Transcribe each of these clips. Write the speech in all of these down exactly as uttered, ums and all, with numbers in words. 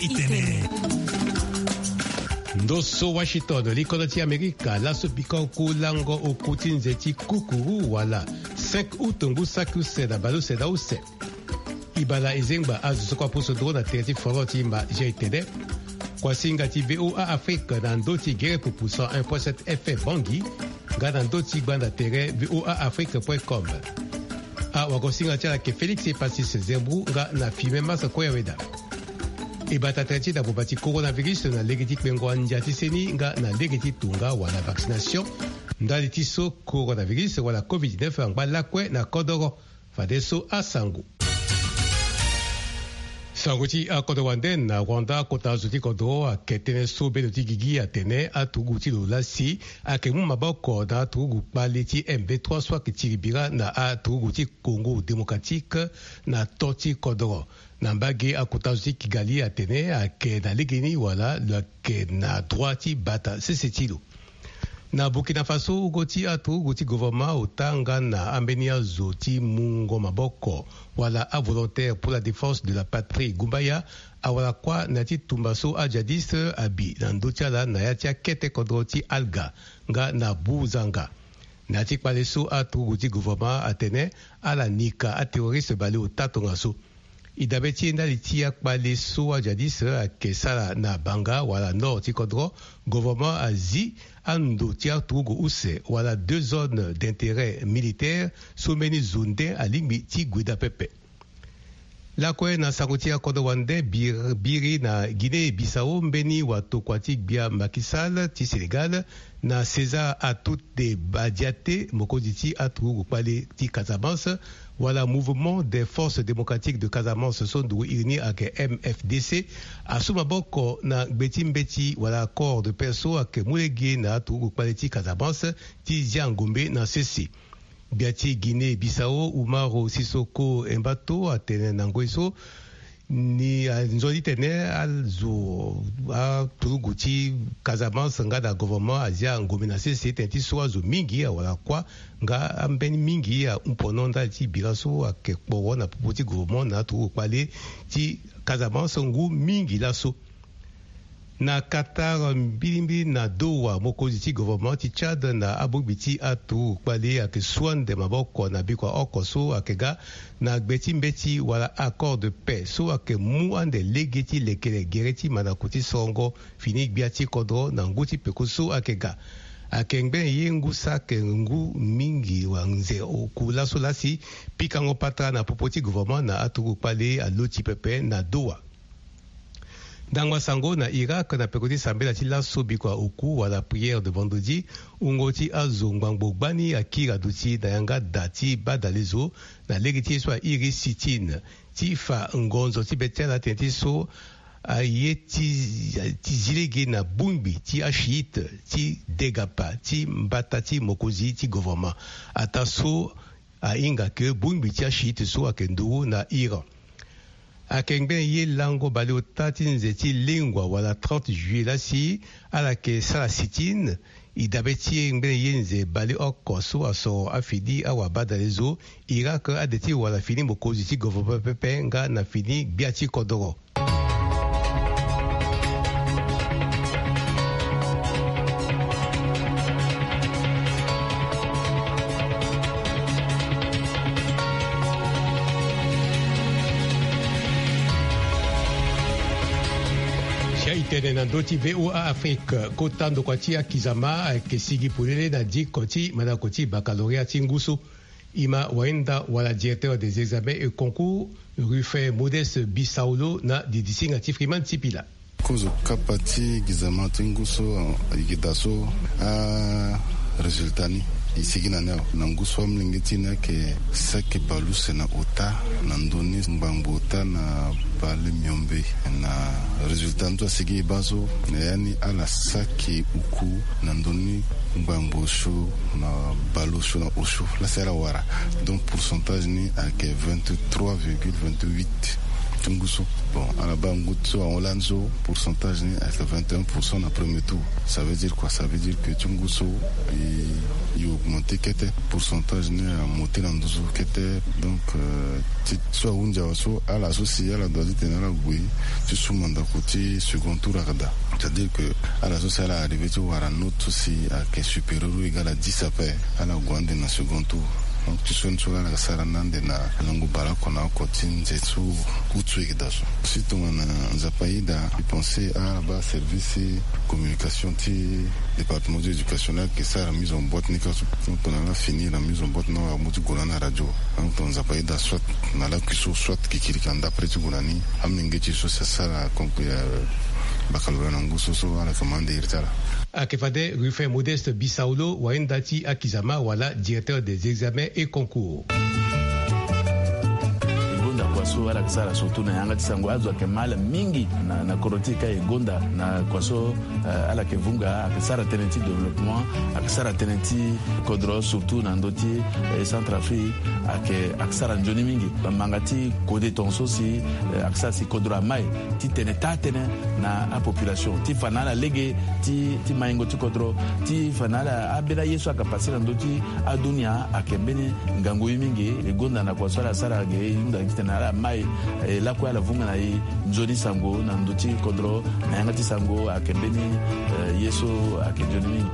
Itene. Ndo so Washington, likolo ti Amerika, laso biko oku lango oku ti nze ti kukuru wala cinq août ngu saki use na baleuse na use. Ibala ezengba azo so kua pusu nduru na tere ti foro ti mba Jean Itene. Kuasinga ti V O A Afrique na ndo ti gere pupu cent un point sept F M Bangui, nga na ndo ti gbanda tere V O A Afrique point com. Awagosinga ti ala ke Félix Epasis Zembou nga na Fimen Masa Koyaweda. E bata tënë ti dabo bati coronavirus na lege ti kpengo andia ti seni nga na lege ti tonga wala vaccination. Ndali ti so coronavirus wala covid dix-neuf angba lakue na kodoro. Fadeso asango. Sango ti akodro wande na Rwanda, kota zo ti kodro ake tënë so bendo ti gigi atene aturugu ti lo lasi ake mu maboko na aturugu kpale ti M vingt-trois so ake tiri bira na aturugu ti Congo Démocratique na to ti kodro. Na mbage akota zo ti Kigali atene ake na legeni wala lo ake na droit ti bata sese ti lo. Na Burkina Faso, ugo ti aturugu ti gouvernement ota nga na ambeni azo ti mungo maboko wala avolontaire pour la défense de la patrie gumbaya awara kuâ na ya ti tumba so ajihadiste abi na ndö ti ala na ya ti akete kodro ti Alga nga na Buzanga. Na ya ti kpale so aturugu ti gouvernement atene ala nika aterroriste baleota tongaso. E dabe ti e ndali ti akpale so ajihadiste ake sara na Banga wala nord ti kodro, gouvernement azi ando ti aturugu use wala deux zones d'intérêt militaire so mbeni zo nde alingbi ti gue daa pepe. Lakue na sango ti akodro wande, bir- biri na Guinée Bissau, mbeni watokua ti gbia Macky Sall ti Sénégal na César Atoute Badiate, mokonzi ti aturugu kpale ti Casamance, wala Mouvement des Forces Démocratiques de Casamance so nduru iri ni ake M F D C, asu maboko na gbe ti mbeti wala accord de paix so ake mu lege na aturugu kpale ti Casamance ti zia ngombe na sese. Gbia ti Guinée Bissau, Umaro Sissoco Embato, atene na ngoi so ni anzoni tene azo aturugu ti Casamance nga na gouvernement azia ngombe na sese tene ti so azo mingi awara kuâ nga ambeni mingi ahunpono ndali ti bira so ake kporo na popo ti gouvernement na aturugu kpale ti Casamance ngu mingi laso. Na Qatar, mbilimbili na Doha, mokonzi ti gouvernement ti Tchad na abongbi ti aturugu kpale ake su ande maboko na bikua oko so ake ga na gbe ti mbeti wala accord de paix so ake mu ande lege ti lekere gere ti mandako ti sorongo fini gbia ti kodro na ngu ti peko so ake ga. Ake ngbene ye ngu saki ngu mingi wa nze oku laso lasi pikango patara na popo ti gouvernement na aturugu kpale aloti pepe na Doha. Ndangba sango na Irak, na peko ti sambela ti laso bikua oku wala prière de vendredi, wungo ti azo ngbangbo gbani akiri aduti na yanga da ti badalezo na lege ti ye so airi sitine ti fa ngonzo ti be ti ala tene ti so aye ti, ti zi lege na bongbi ti ashiite ti degapa ti mbata ti mokonzi ti gouvernement. Ataa so ahinga ke bongbi ti ashiite so ake nduru na Iran. Ake ngbene ye lango baleota ti nze ti lengua wala trente juillet lasi ala ke sara sitine. E dabe ti e ngbene ye nze baleoko so asoro afini awabadalezo Irak ade ti wala fini mokonzi ti gouvernement pepe nga na fini gbia ti kodoro. Si aye tene na ndö ti V O A Afrique, kota ndokua ti akizama ayeke sigi polele na diko ti mandako ti baccalauréat ti ngu so. E ma wahinda wala directeur des examens et concours, Rufin Modeste Bisaolo, na didisinga ti Freeman Sipila. Kozo kapa ti gizama ti ngu so, yigida so, a résultat ni e sigi na ni awe. Na ngu so amolenge ti ni ayeke saki baleuse na ota na ndö ni ngbangbo ota na baleuse miombe. Na résultat ni so asigi e baa so na ya ni ala saki uku na ndö ni ngbangbo osio na baleuse osio na osio. Lasi ala wara. Donc pourcentage ni ayeke vingt-trois virgule vingt-huit ti ngu so. Bon, ala baa ngu so ahon lani so, pourcentage ni ayeke vingt et un pour cent na premier tour. Ça veut dire quoi? Ça veut dire que ti ngu so e augmenter kete, pourcentage ni amonter na nduzu kete. Donc ti so ahunzi awe so, ala so si ala doit ti tene ala gue ti su mandako ti second tour ayeke daa. C'est à dire que ala so si ala arriver ti wara note so si ayeke supérieur ou égal à dix ape, ala gue ande na second tour. Donc ti so ni so ala yeke sara ni ande na lango baleoko na oko ti nze so août so e yeke daa so. Si tongana Nzapa ayeda, e pense ala baa service communication ti département ti éducation laa ayeke sara mise en boîte ni ka so. Donc tongana ala finir na mise en boîte ni, amu ti gue na ni na radio. Donc tongana Nzapa ayeda, soit na lakui so, soit kikiriki na ndapre ti gue na ni, amenge ti e so si asara baccalauréat na ngu so so, ala yeke ma ande iri ti ala. Ayeke fade Ruffin Modeste Bisaulo, wayenda ti akizama wala directeur des examens et concours. E gonda kua so ala yeke sara surtout na yanga ti sango, azo ayeke ma ala mingi na, na kodro ti e ka. E gonda na kua so, eh, ala yeke vunga, ayeke sara tënë ti développement, ayeke sara tënë ti kodro, surtout na ndö ti, eh, Centrafrique, ayeke, ayeke sara nzoni mingi. Bamanga ti kode tongaso si, eh, ayeke sara si kodro amai ti tene taa-tënë na apopulation ti fa na ala lege ti, ti maingo ti kodro, ti fa na ala ambeni aye so ayeke pase na ndö ti adunia ayeke mbeni ngangu ye mingi. E gonda na kua so ala sara ge, e hunda gi titene ala mai, e lakue ala vunga na e nzoni sango na ndö ti kodro, na yanga ti sango ayeke mbeni, eh, ye so ayeke nzoni mingi.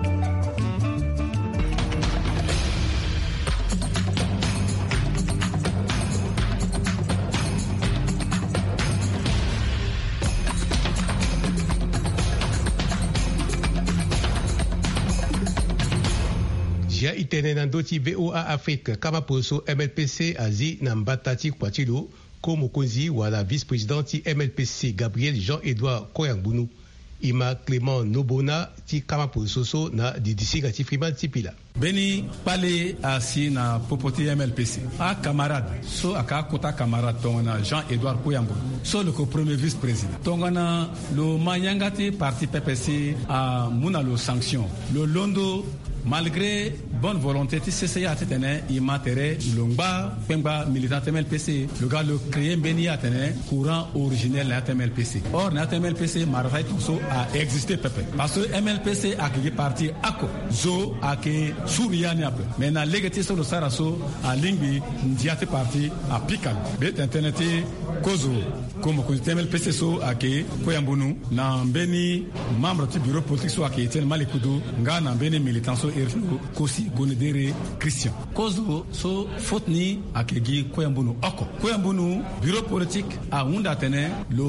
Zia e tene na ndö ti V O A Afrique, kama poroso M L P C azi na mbata ti kua ti lo, ko mokonzi wala vice-président ti M L P C, Gabriel Jean-Edouard Koyambunu. E ma Clément Nobona ti kama poroso so na didisinga ti Freeman Sipila. Mbeni kpale asi na popo ti M L P C. Acamarade so ayeke akota camarade tongana Jean-Edouard Koyambunu so lo yeke premier vice-président. Tongana lo ma yanga ti parti pepe si amu na lo sanction, lo londo, malgré bonne volonté ti C C A titene e ma tere lo ngba kpengba militant ti M L P C, lo ga lo créer mbeni ye atene courant originel na ya ti M L P C. Or na ya ti M L P C, mara ti tongaso a existe pepe. Parce que M L P C ayeke gi parti oko, zo ayeke suru ya ni ape. Mais na lege ti so lo sara so, alingbi ndia ti parti apika lo. Be tene tënë ti kozo, ko mokonzi ti M L P C so ayeke Koyambunu, na mbeni membre ti bureau politique so ayeke Etienne Malekudu, nga na mbeni militant so iri ti lo Kosi Gonedere Christian. Kozo so faute ni ayeke gi Koyambunu oko. Koyambunu, bureau politique ahunda atene lo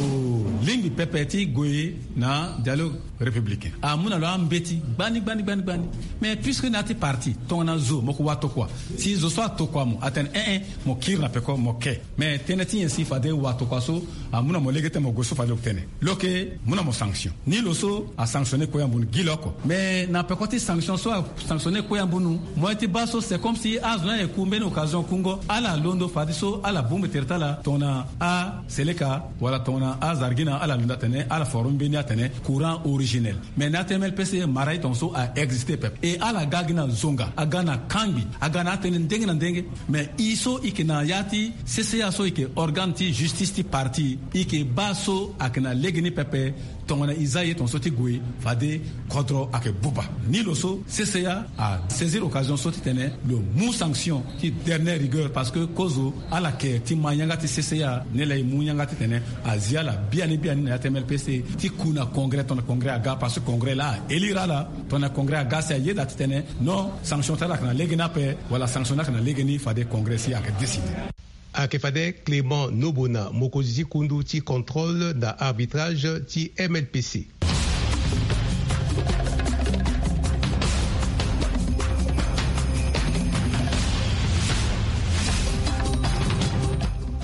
lingbi pepe ti gue na dialogue républicain. Amu na lo ambeti gbani, gbani, gbani, gbani. Mais puisque na ya ti parti, tongana zo mo yeke watokua, si zo so atokua mo, atene, eh, eh, mo kiri na peko, mo ke. Mais tënë ti nyen si fade watokua so amu na mo lege ti mo gue so fade lo yeke tene? Lo yeke mu na mo sanction. Ni lo so asanctionner Koyambunu gi lo oko. Mais na peko ti sanction so asanctionner Koyambunu, moyen ti baa so, c'est comme si azo ni aye ku mbeni occasion kungo. Ala londo fadeso ala bongbi tere ti ala tongana aseleka wala tongana azargina, ala londo atene ala former mbeni atene courant originel. Mais na ya ti M L P C, mara ti tongaso a existe pepe. E ala ga gi na zonga, aga na kangbi, aga na atënë ndenge na ndenge. Mais e so e yeke na ya ti C C A so e yeke organe ti justice ti parti, e yeke baa so ayeke na lege ni pepe. Tongana e za ye tongaso ti gue, fade kodro ayeke buba. Ni lo so, C C A asaisir occasion so titene lo mu sanction ti dernière rigueur, parce que kozo ala yeke ti ma yanga ti C C A, ni laa e mu yanga titene azi ala biani biani na ya ti M L P C ti ku na congrès, tongana congrès aga, parce que congrès laa a élire ala. Tongana congrès aga si ayeda titene non, sanction ti ala ayeke na lege ni ape, wala sanction ni ayeke na lege ni, fade congrès si ayeke décider. Ayeke fade Clément Nobona, mokonzi ti kundu ti contrôle na arbitrage ti M L P C.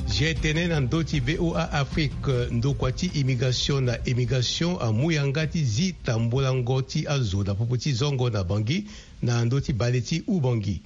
Zia e tene na ndö ti V O A Afrique, ndokua ti immigration na émigration amu yanga ti zi tambolango ti azo na popo ti zongo na Bangui, na ndö ti bale ti Oubangui.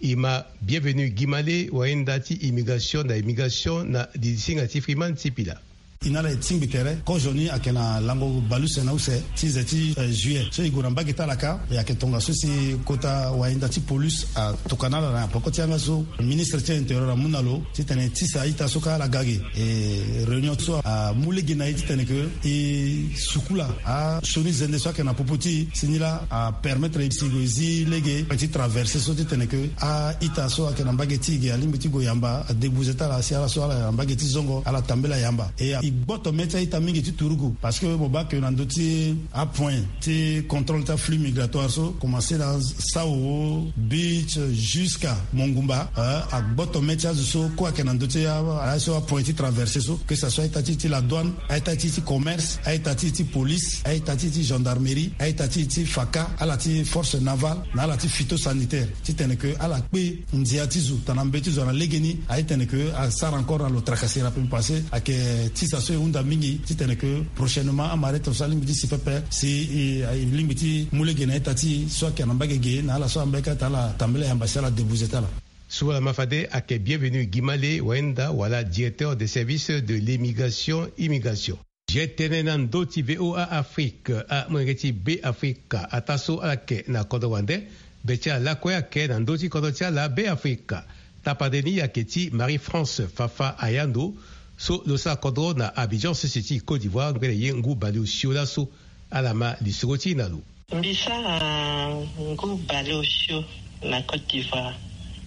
E ma Bienvenu Guimale, wayenda ti immigration na émigration, na didisinga ti Freeman Sipila. E na ala e tingbi tere kozo ni ayeke na lango baleuse na use ti ze ti juillet so e gue na mbage ti ala kâ. E yeke tongaso si kota wayenda ti polus atokua na ala na peko ti yanga so ministre ti intérieur amu na lo titene e tisa a-ita so kâ ala ga ge. E réunion so amu lege na e titene ke e sukula asioni zende so ayeke na popo ti e si ni laa apermettre e si e gue e zi lege ti traverse so titene ke a-ita so ayeke na mbage ti e ge alingbi ti gue yamba adebuze ti ala si ala so ala yeke na mbage ti zongo ala tambela yamba. E gboto mê ti a-ita mingi ti turugu parce que mo baa ke na ndö ti apoint ti contrôle ti aflux migratoire so komanse na Saowo, Beach, jusqu'à Mongumba. Agboto mê ti azo so kue ayeke na ndö ti aye so apoint ti traverse so, que ça soit a-ita ti e ti la douane, a-ita ti e ti commerce, a-ita ti e ti police, a-ita ti e ti gendarmerie, a-ita ti e ti faka, ala ti force navale na ala ti phytosanitaire titene ke ala kpe ndia ti zo tana mbeti zo na legeni. Aye tene ke asara encore na lo tracassera pe mbi pense ayeke tisa so e hunda mingi titene ke prochainement amarete so alingbi ti si pepe si e lingbi ti mu lege na ita ti e so ayeke na mbage ge na ala so ambeka ti ala tambela yamba si ala debuze ti ala. So ala ma fade ayeke Bienvenu Gimale wayenda wala directeur de service de l'immigration immigration. Ye tene na ndö ti VOA Afrique, amolenge ti Beafrika ataa so ala yeke na kodro wande. Be ti ala lakue ayeke na ndö ti kodro ti ala Beafrika. Tapande ni ayeke ti Marie France Fafa Ayando so lo sara kodro na Abidjan sese ti Côte d'Ivoire ngbene ye ngu baleosio laso. Ala ma lisoro ti e na lo. Mbi sara ngu baleosio na Côte d'Ivoire.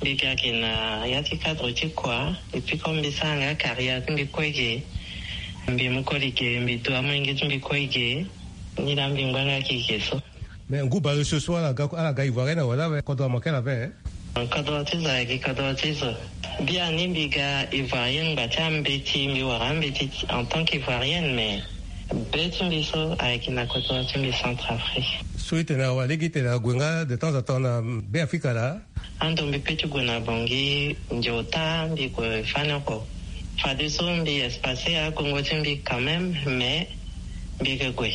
Mbi ga ge na ya ti cadre ti kua. Et puis comme mbi sara nga carrière ti mbi kue ge, mbi mu koli ge, mbi du amolenge ti mbi kue ge. Ni laa mbi ngba nga gi ge so. Mais ngu baleosio so ala ga, ala ga ivoirienne wala awe? Kodro amanke la ve. Kodro ti zo ayeke kodro ti zo. Biani mbi ga ivoirienne ngba ti ambeti, mbi wara ambeti en tant qu'ivoirienne, mais be ti mbi so ayeke na kodro ti mbi Centrafrique. So e tene awa lege e tene ague nga de temps en temps na Beafrika laa? Ando mbi pe ti gue na Bangui, ndio ota mbi gue fani oko. Fadeso mbi espace agongo ti mbi quand même, mais mbi yeke gue.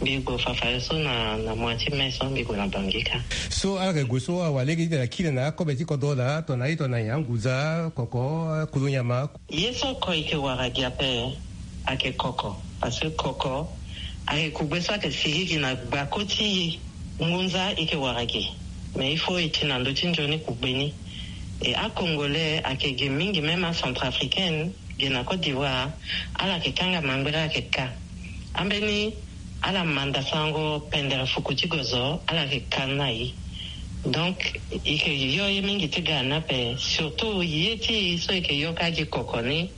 Mbi gue fa fadeso na, na mois ti mai so mbi gue na Bangui kâ. So ala yeke gue so awa lege e tene akiri na akobe ti kodro laa, tongana aye tongana nyen, anguza, koko, kulu nyama? Ye so oko e yeke wara gi ape ayeke koko. Parce que koko ayeke kugbe so ayeke sigi gi na gbako ti e. Ngunza e yeke wara gi. Mais il faut e ti na ndö ti nzoni kugbe ni. E aCongolais ayeke gi mingi, même aCentrafricaine gi na Côte d'Ivoire, ala yeke kanga mangbere ayeke kâ. Ambeni ala manda sango pendere fuku ti gozo, ala yeke kâ na e. Donc e yeke yo ye mingi ti ga na ape, surtout ye ti e so e yeke yo kâ gi koko ni.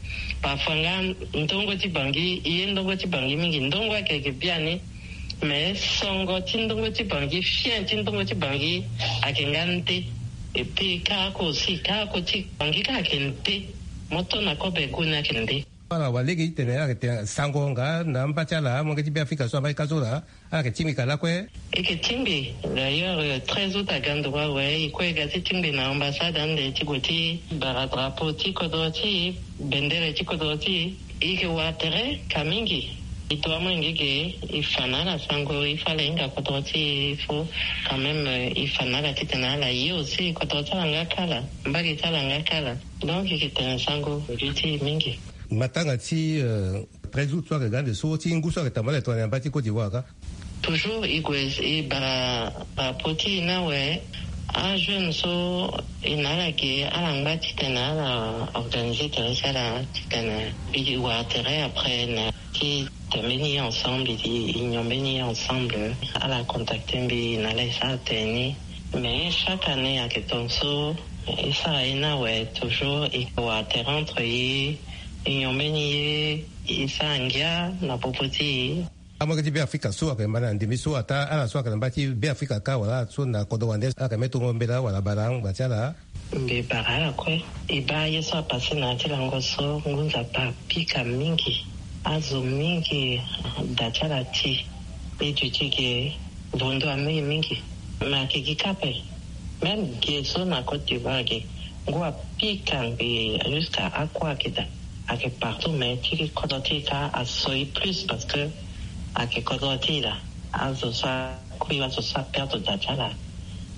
Parfois nga ndongo ti Bangui, e ye ndongo ti Bangui mingi, ndongo ayeke gi biani. Mais songo ti ndongo ti Bangui, fien ti ndongo ti Bangui ayeke nga nde. Et puis kâ oko aussi, kâ oko ti Bangui kâ ayeke nde. Mo to na kobe gu ni ayeke nde. Ala wa lege ti tene ala yeke tene sango nga na amba ti ala, amolenge ti Beafrika so amba ti ka so laa, ala yeke tingbi ka lakue? E yeke tingbi. D'ailleurs, euh, treize août aga nduru awe, e kue e ga ti tingbi na ambassade ande ti gue ti bara drapeau ti kodro ti e, bendere ti kodro ti e. E yeke wara tere ka mingi. E to amolenge ge, e fa na ala sango, e fa ala hinga kodro ti e, il faut quand même, euh, e fa na ala titene ala ye aussi kodro ti ala nga kala, mbage ti ala nga kala. Donc e yeke tene sango gi ti e mingi. Matanga ti, euh, treize août so ayeke ga ande so ti ngu so ayeke tambala tongana na yamba ti Côte d'Ivoire kâ. Toujours e gue e bara, bara poti e ni awe. Ajeune so e na ala ge, ala ngba titene ala organiser tere ti ala titene e wara tere après na ti tene mbeni ye ensemble, e nyon mbeni ye ensemble. Ala contacter mbi na ala e sara tene ni. Mais chaque année ayeke tongaso e sara ye ni awe, toujours e wara tere entre e, e nyon mbeni ye, e sara ngia na popo ti e. Amolenge ti Beafrika so ayeke manda na ndembe so ataa ala so ayeke na mba ti Beafrika kâ wala ala so na kodro wande ala yeke me tongo mbela wala bara ngba ti ala. Mbi bara ala kue. E baa ye so apasse na ya ti lango so, ngu nzapa apika mingi. Azo mingi da ti ala ti. E duti ge, vondo amu e mingi. Me ayeke gi kâ ape. Même ge so na Côte d'Ivoire ge, ngu apika ngbii jusqu'à akua ayeke daa. Ayeke partout, mais ti kodro ti e kâ aso e plus parce que ayeke kodro ti e laa. Azo so akui, azo so aperdre da ti ala,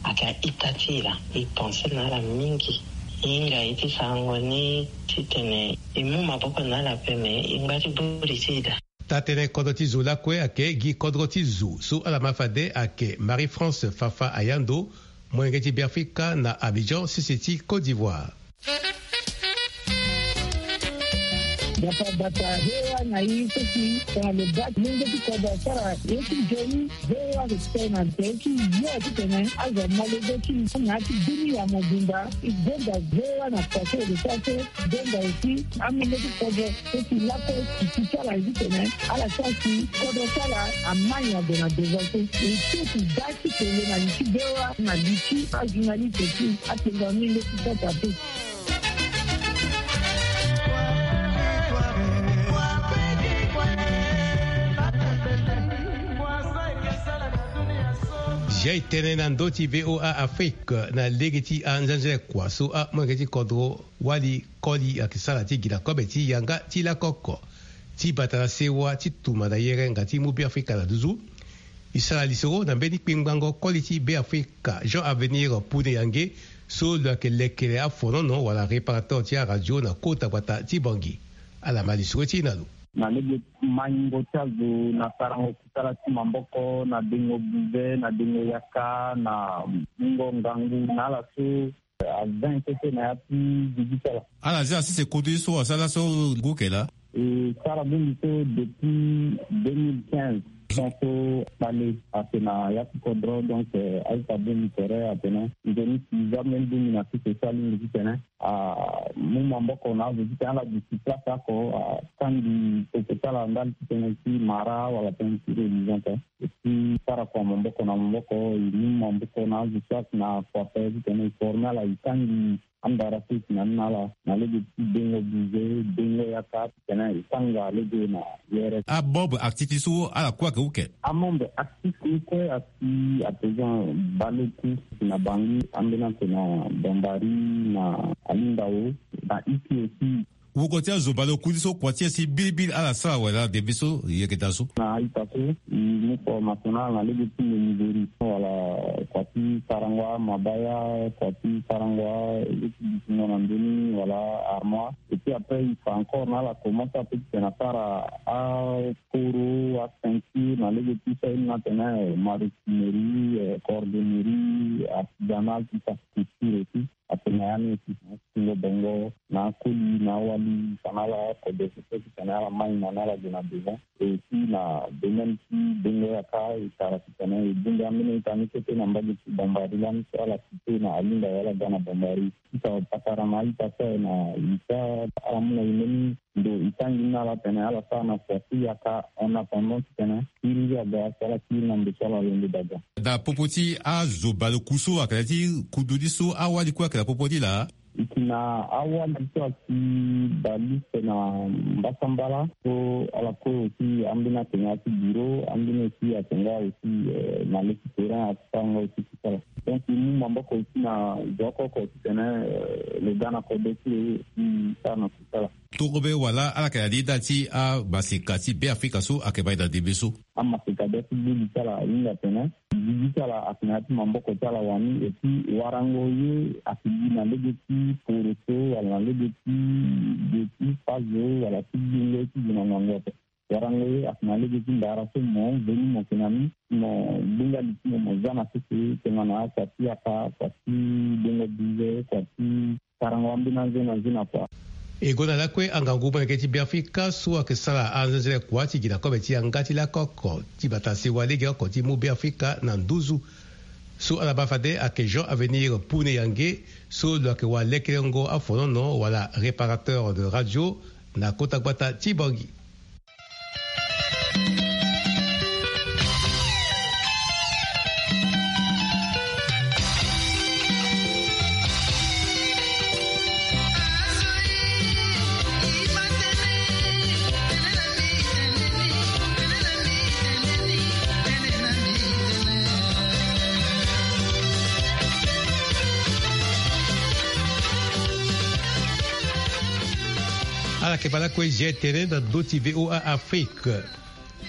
ayeke a-ita ti e laa. E pense na ala mingi. E hinga e ti sarango ni titene e mu maboko na ala ape, me e ngba ti buri ti e daa. Taa-tënë kodro ti zo lakue ayeke gi kodro ti zo so ala ma fade ayeke Marie-France Fafa Ayando, molenge ti Beafrika na Abidjan, sese ti Côte d'Ivoire. Bata bata, V O A na e so si tongana lo baa ti lenge ti kodro asara ye ti nzoni, V O A ayeke tene na tere ti yo titene azo amolenge ti e na ya ti dunia mobimba. E gonda V O A na pase de sase, gonda aussi amolenge ti kodro so si lakue ti ti ti ala ye titene ala sara si kodro ti ala amai na gue na devant so. E so ti daa ti tene na li ti V O A na li ti ajournaliste ti atengua mingi ti kota te. Zia e tene na ndö ti V O A Afrique na lege ti anzenze kua so amolenge ti kodro wali koli ayeke sara ti gi na kobe ti yanga ti lakoko ti bata na sewa ti tuma na yerenga ti mu Beafrika na nduzu. E sara lisoro na mbeni kpingbango koli ti Beafrika, Jean Avenir Pune Yange, so lo yeke lekere afonono wala réparateur ti aradio na kota gbata ti Bangui. Ala ma lisoro ti e na lo. Na lege maingo ti azo na sarango kusala ti maboko, na dengo buze, na dengo yaka, na mungo ngangu na ala so a vingt kete na ya ti digital. Ala zia sese kodro ye so asara so ngu yeke laa. E sara bongbi so depuis deux mille quinze. Son so kpale ayeke na ya ti kodro, donc, eh, a-ita bongbi tere atene nzoni si zia mbeni bongbi na sese so alingbi titene amu maboko na azo titene ala duti place oko, atangi koko ti ala ndali titene ti mara wala tënë ti religion te. E ti sara kua maboko na maboko, e mu maboko na azo so ayeke na kua ape titene e forme ala, e tangi andara so e si na ni na ala na lege ti dengo buze, dengo yaka titene e tanga lege na yere. Amembre actif ti so ala kue ayeke uke? Amembre actif ni kue asi à présent baleku na Bangui, ambeni atene na Bambari, na Alindao, na Iki aussi. Woko ti azo baleku ni so kua ti e si bilibili ala sara wala debe so e yeke daa so. Na a-ita so e mu formation na ala na lege ti menuiserie wala kua ti sarango amabaya, kua ti sarango lege ti dutingo na ndö ni wala armoire. Et puis après e fa encore na ala commence ape titene asara aporo, aceinture na lege ti so aye ni atene maroquinerie, eh, cordonnerie, artisanal, tout ça, couture aussi. Atene na ya ni aussi, na tingo bongo, na akoli, na awali, fa na ala kode so so titene ala mai na ni ala gue na devant. Et aussi na domaine ti dengo yaka, e tara titene e bongbi ambeni a-ita ni kete na mbage ti Bambari lani so ala cité na Alinda wala ga na Bambari. Ti fa patara na a-ita so aye na e so ala mu na e mbeni ndo e tangi ni na ala tene ala sara na kua ti yaka en attendant titene kiri aga so ala kiri na ndo so ala londo daga. Na popo ti azo baleku so ayeke na ya ti kodro ni so awali kue ayeke na popo ni laa? E si na awali so asi balise na mbasambala so ala kue aussi ambeni atene ya ti bureau, ambeni aussi atene nga aussi, eh, na leki terrain asi sara nga aussi ti sara. Donc e mu maboko aussi na zo oko oko titene, eh, lo ga na kodro ti lo e sara na kusala. Torobe wala ala yeke na lida ti amaseka ti Beafrika so ayeke baa e na ndembe so? Amaseka bia ti gbu li ti ala ahinga atene gigi ti ala ayeke na ya ti maboko ti ala wani. Et puis warango ye ayeke gi na lege ti poroso wala na lege ti ge ti fazo wala ti gingo ti gi na ngangu ape. Warango ye ayeke na lege ti ndara so mo veni mo yeke na ni, mo gbu nga li ti mo, mo za na sese tongana kua ti yaka, kua ti dengo bize, kua ti sarango ambeni anze na nze na kua. E gonda lakue angangu molenge ti Beafrika so ayeke sara anzenzele kua ti gi na kobe ti yanga ti lakoko ti bata sewa legeoko ti mu Beafrika na nduzu. So ala baa fade ayeke Jean Avenir Pune Yange, so lo yeke wa lekerengo afonono wala réparateur de radio na kota gbata ti Bangui. Ala yeke baa lakue zia tene na ndö ti V O A Afrique.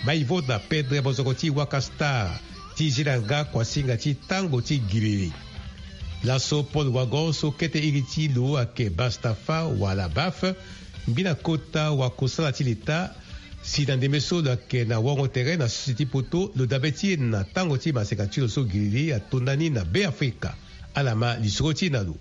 Maïvo na Pedre Mozoko ti Waka Star ti zi na nga kuasinga ti tango ti giriri. Laso Paul Wagon so kete iri ti lo ayeke Bastafa wala Baf, mbi na kota wakosala ti leta, si na ndembe so lo ayeke na wango tere na sese ti poto, lo dabe ti e na tango ti maseka ti lo so giriri atonda ni na Be Afrika. Ala ma lisoro ti e na lo.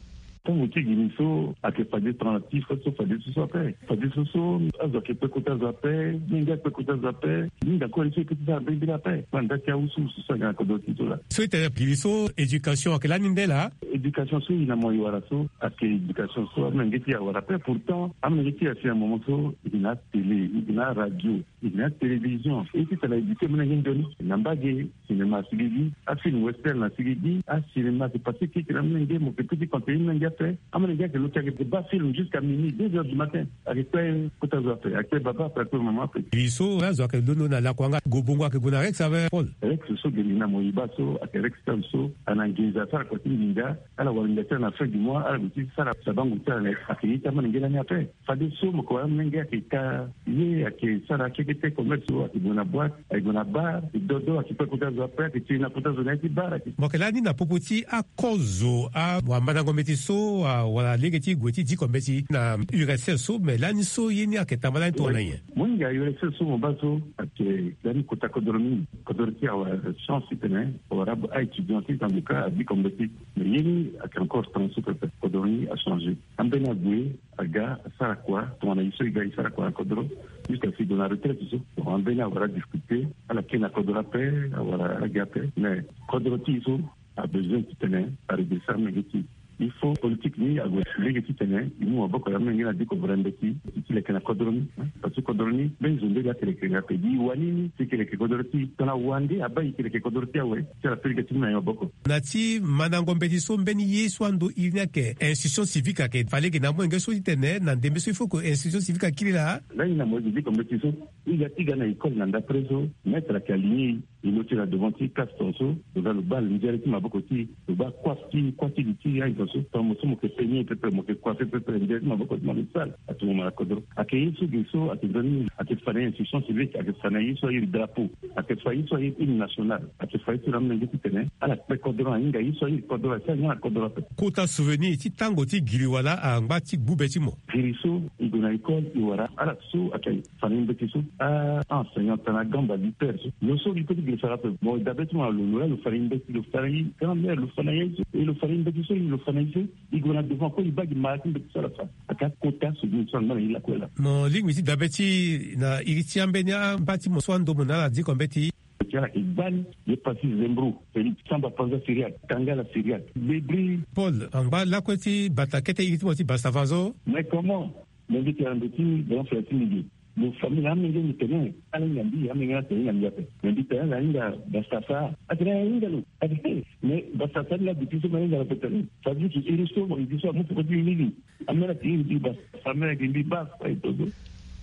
Tango ti giri so ayeke fade tanga ti fo so fade so so ape. Fade so so azo ayeke kpe kota zo ape, mingi akpe kota zo ape. Mingi akue so e kpe ti sara mbirimbiri ape. Manda ti awusu so ayeke na kodro ti so laa. So e tene giri so éducation ayeke lani nde laa? Éducation so e na mo e wara so ayeke éducation so amolenge ti e awara ape. Pourtant amolenge ti e asi na moment so e yeke na atélé, e yeke na aradio, e yeke na atélévision. E ti tara éduqué molenge nzoni na mbage. Cinéma asigigi, afilm western asigigi, acinéma ayeke passé keke na molenge, mo yeke peut ti conseiller molenge ape. Amolenge ayeke lo ti ayeke baa film jusqu'à minuit, deux heures du matin. Ayeke kpe kota zo ape, ayeke kpe baba ape, ayeke kpe mama ape. Giri so azo ayeke londo na lakua nga, gobongo ayeke gue na Rex ape Paul? Rex so giri na mo e baa so ayeke Rex Town so, ana nginza asara kua ti nginza. Ala wara nginza ti ala na fin du mois, ala gue ti sara sabango ti ala na e. Ayeke ye ti amolenge lani ape. Fade so mo yeke wara amolenge ayeke ka ye, ayeke sara akekete commerce so, ayeke gue na boîte, ayeke gue na bar, ayeke dodo, ayeke kpe kota zo ape, ayeke tiri na kota zo na ya ti bar, ayeke. Mo yeke lani na popo ti akozo, awamandango mbeti so, a, wala lege ti gue ti diko mbeti na U R S S so, me lani so ye ni ayeke tamba lani tongana nyen? Mo hinga U R S S so mo baa so ayeke lani kota kodro mingi. Kodro ti e awara chance titene awara a-étudiant ti tanga ka adiko mbeti. Me ye ni ayeke encore temps so pepe, kodro ni achangé. Ambeni ague aga asara kua tongana e so e ga e sara kua na kodro. Jusqu'à si e gue na retraite so. Bon, ambeni awara difficulté, ala kiri na kodro ape, awara ala gi ape. Mais kodro ti e so abesoin titene aredresser amolenge ti e. Il faut politique ni ague lege titene e mu maboko na amolenge na diko vere mbeti ti leke na kodro ni. Hein? Parce que kodro ni mbeni zo nde la ti leke ape. Gi e wani ni ti leke kodro ti e. Tongana wande abaa e ti leke kodro ti e awe, ti ala peut lege ti mu na e maboko. Na ti mandango mbeti so mbeni ye so ando iri ni ayeke institution civique ayeke fa lege na amolenge so titene na ndembe so il faut que institution civique akiri laa. Lani na mo yeke diko mbeti so, e ga ti ga na école na ndapre so, maître ayeke aligné e, e lo ti na devant ti classe tongaso. Lo ga lo baa nzere ti maboko ti e, lo baa coiffe ti, coiffe ti li ti aye tongaso. Tongana mo so mo yeke peigné pepe, mo yeke coiffé pepe, nzere ti maboko ti mo lo sale. Atomo mo na kodro. Ayeke ye so ge so ayeke nzoni, ayeke fa na ye institution civique, ayeke fa na ye so airi drapeau, ayeke fa ye so airi hymne national, ayeke fa ye so na amolenge titene ala kpe kodro, ahinga ye so airi kodro, asara nga na kodro ape. Kota souvenir ti tango ti giri wala angba ti gbu be ti mo? Giri so e gue na école e wara ala so ayeke fa na ye mbeti so, a, a-enseignant tana gamba lutteur so. Lo so li peut ti giri sara ape. Bon, dabe ti mo na lo, lo la lo fa na ye mbeti, lo fa na ye grand-mère, lo fa na ye so, e lo fa na ye mbeti so, lo fa na ye so. E gue na devant kue, e baa gi mara ti mbeti so ala fa. Ayeke akota souvenir so angba na ye lakue laa. Mo lingbi ti dabe ti na iri ti ambeni amba ti mo so ando mo na ala diko mbeti. Ti ala yeke gbani, ye Passy Zembro, Félix Samba Panza Syriaque, Tangala Syriaque, Bébri. Paul, angba lakue ti bata kete iri ti mo ti Bastafa so. Mais comment? Mais mbi tene na ndo ti grand frère ti mbi ge. Lo famille na amenge mbi tene, ala hinga mbi, amenge na tene hinga mbi ape. Mais mbi tene ala hinga Bastafa. Atene ala hinga lo. Atene, mais Bastafa ni la depuis so mbi hinga lo ape tene. Ça veut dire que iri so mo iri so amu peko ti mbi mingi. Amene ayeke iri mbi Bastafa, amene ayeke mbi Bastafa, e to so.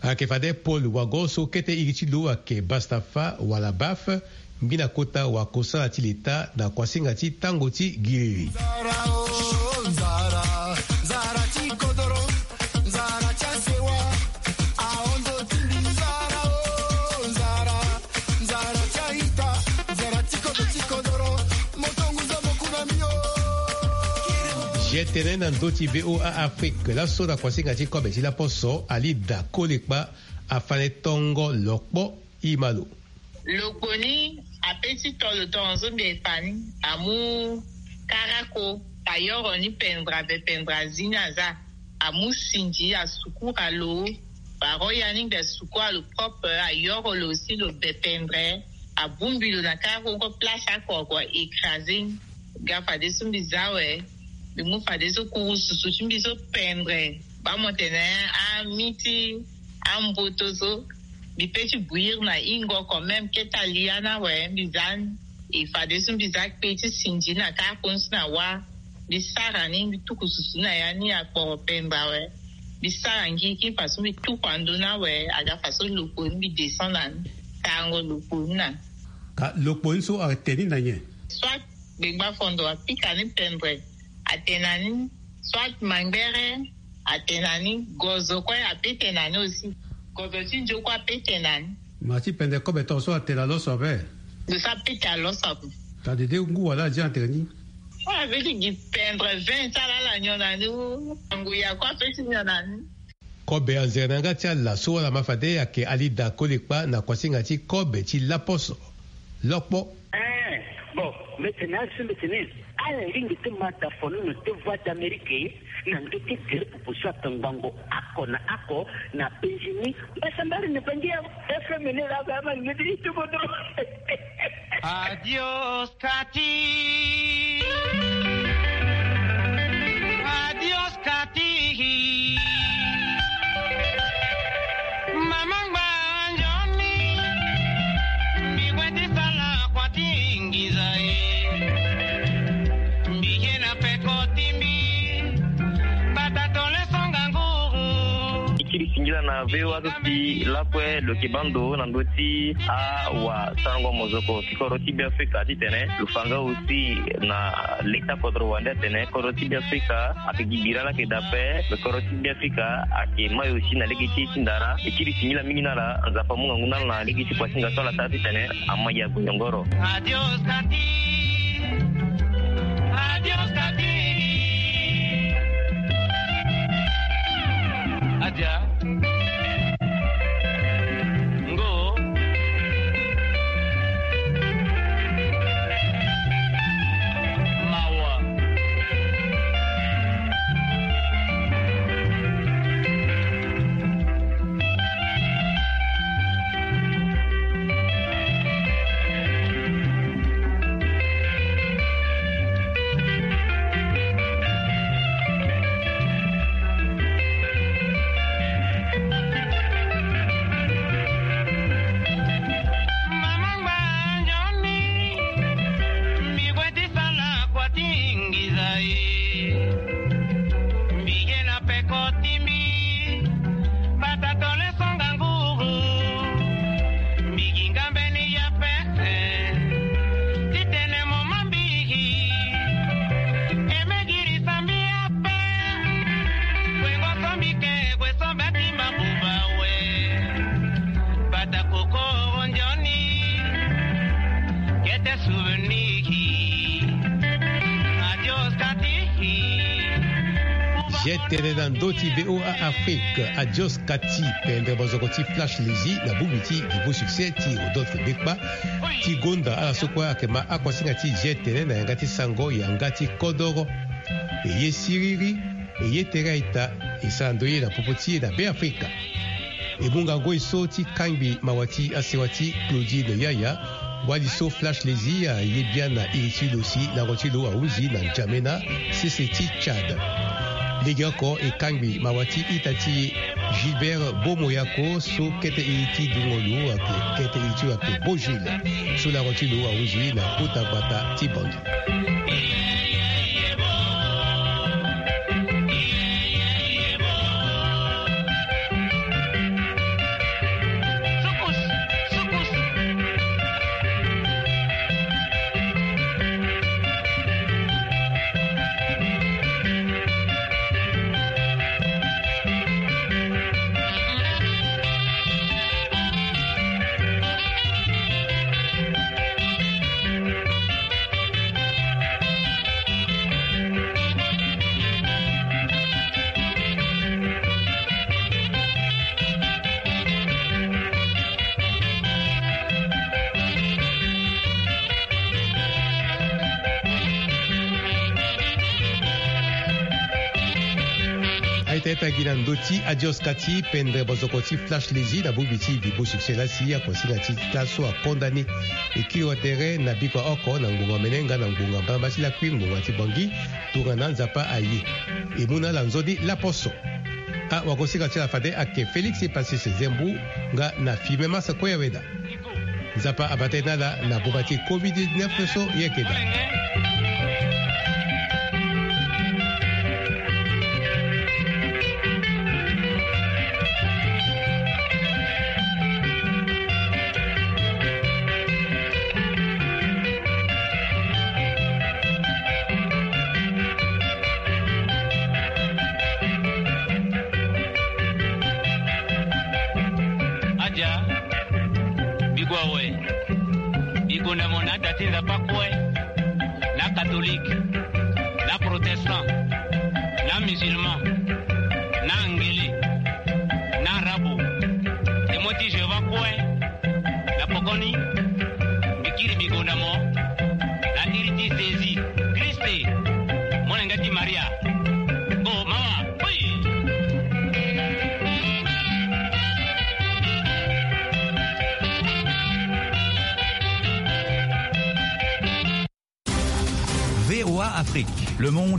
Ayeke fade Paul Wagon so kete iri ti lo ayeke Bastafa wala Baf, mbi na kota wakosala ti leta na kuasinga ti tango ti giriri. Nzara o, nzara, nzara ti kodoro, nzara ti asewa, ahondo ti mbi. Nzara o, nzara, nzara ti a-ita, nzara ti kodro ti kodoro, moto ngu zo mo ku na mbi o. Ge tene na ndö ti V O A Afrique, laso na kuasinga ti kobe ti laposo, Alida Kolekpa afa na e tongo lokpo. Ima lo. Lokpo ni ape ti to lo tongaso mbi efa ni, amu karako, ayoro ni pendra be pendra zi ni aza. Amu sinzi asukura lo, baro ya ni mbi asukura lo propre, ayoro lo aussi lo be pendra. Abongbi lo na karako, place akua kua écrasé ni. Ga fadeso mbi za awe, mbi mu fadeso kurususu ti mbi so pendra. Baa mo tene ami ti amboto so, mbi pe ti bouillir na hingo quand même, keta li ya ni awe, mbi za ni. E fadeso mbi za kpe ti sinzi na karako ni so na wa. Mbi sara ni, mbi tuku susu na ya ni akporo pendra awe. Mbi sara ngiriki faso mbi tuku ando ni awe, aga faso lokpo ni mbi descend na ni. Sarango lokpo ni na ni. Ka lokpo ni so atene ni na nyen? Soit gbengba fondo apika ni pendra, atene na ni. Soit mangbere, atene na ni. Gozo kue ape tene na ni aussi. Gozo ti nzo kue ape tene na ni. Ma ti pendra kobe tongaso atene na lo so ape? Lo so ape tene na lo so ape. Tadede ngu wala azi atene ni. Ala pe ti gi pendre vin ti ala ala nyon na ni. Ngu ya kue ape ti nyon na ni. Kobe anzere na yanga ti ala so wala ma fade ayeke alida kole kpa na kuasinga ti kobe ti laposo. Lokpo. Eh, bon, mbi tene asi mbi tene ala lingbi ti ma da fonono ti voix d'Amérique na ndö ti gere popo so ayeke ngbangbo oko na oko na Benjini. Mbasambari ni bangi ya F M ni la ba ma ngedi ti bodo. Adios. Kati. Adios, Kati. Mama ngba nzoni. Mbi kue ti sala kua ti nginza e. Mbi ye na peko ti mbi. Bata tole songa nguru. E kiri singila na V O A so si lakue lo yeke baa ndo na ndö ti awasango mozoko ti kodro ti Beafrika titene lo fa nga aussi na leta kodro wande atene kodro ti Beafrika ayeke gi bira ni ayeke daa ape. Lo kodro ti Beafrika ayeke mai aussi na lege ti e ti ndara. E kiri singila mingi na ala, Nzapa amu ngangu na ala na lege ti kuasinga so ala sara titene amai ague nyongoro. Adios, Kati. Adios, Kati. Adia. Ngo. Mawa. Mama ngba nzoni, mbi kue ti sala kua ti nginza e. Mbi ye na peko ti mbi, bata tole songa nguru. Mbi gi nga mbeni ya pe, eh, titene mo ma mbi gi. E me girisa mbi ape. Kue ngo so mbi ke, kue so mbi ati ma buba we. Bata koko nzoni. Kete souvenir. Adios, Kati. Ye tene na ndö ti V O A Afrique. Adios, Kati. Pendre mozoko ti Flash Lezi na bongbi ti Vivo Succès ti Rodolphe Bekpa. Ti gonda ala so kue ayeke ma akuasinga ti ye tene na yanga ti sango yanga ti kodoro. E ye siriri, e ye tere a-ita, e sara ndoye na popo ti e na Beafrika. E mu ngangu e so ti kangbi mawa ti asewa ti Claudine Yaya, wali so Flash Lezi aye biani na iri ti lo si lango ti lo ahunzi na N'Djamena, sese ti Tchad. Legeoko e kangbi mawa ti ita ti e Gilbert Bomoyako so kete iri ti dungo lo ayeke, kete iri ti lo ayeke Bojil, so lango ti lo ahunzi na kota gbata ti Bangui. Aita aita gi na ndö ti Adios Kati, pendre mozoko ti Flash Lezi na bongbi ti Vivo Succès laa si akuasinga ti ta so akonda ni. E kiri wa tere na bikua oko na ngbonga mene nga na ngbonga mbalamba ti lakui ngbonga ti Bangui. Tongana Nzapa aye, e mu na ala nzoni laposo. Awagosinga ti ala fade ayeke Félix Epasis Zembu nga na Fime Masa Koyaweda. Nzapa abata e na ala na boma ti covid dix-neuf so e yeke daa. Adia, biko awe. Biko na mo na ada ti Nzapa kue. Na ka Na musulman, na angele, na arabu, témoin ti Jéhovah kue. Na pokoni, mbi kiri mbi gonda mo na iri ti Jésus Christ, molenge ti Maria. Go mawa. Oi! V O A Afrique, le monde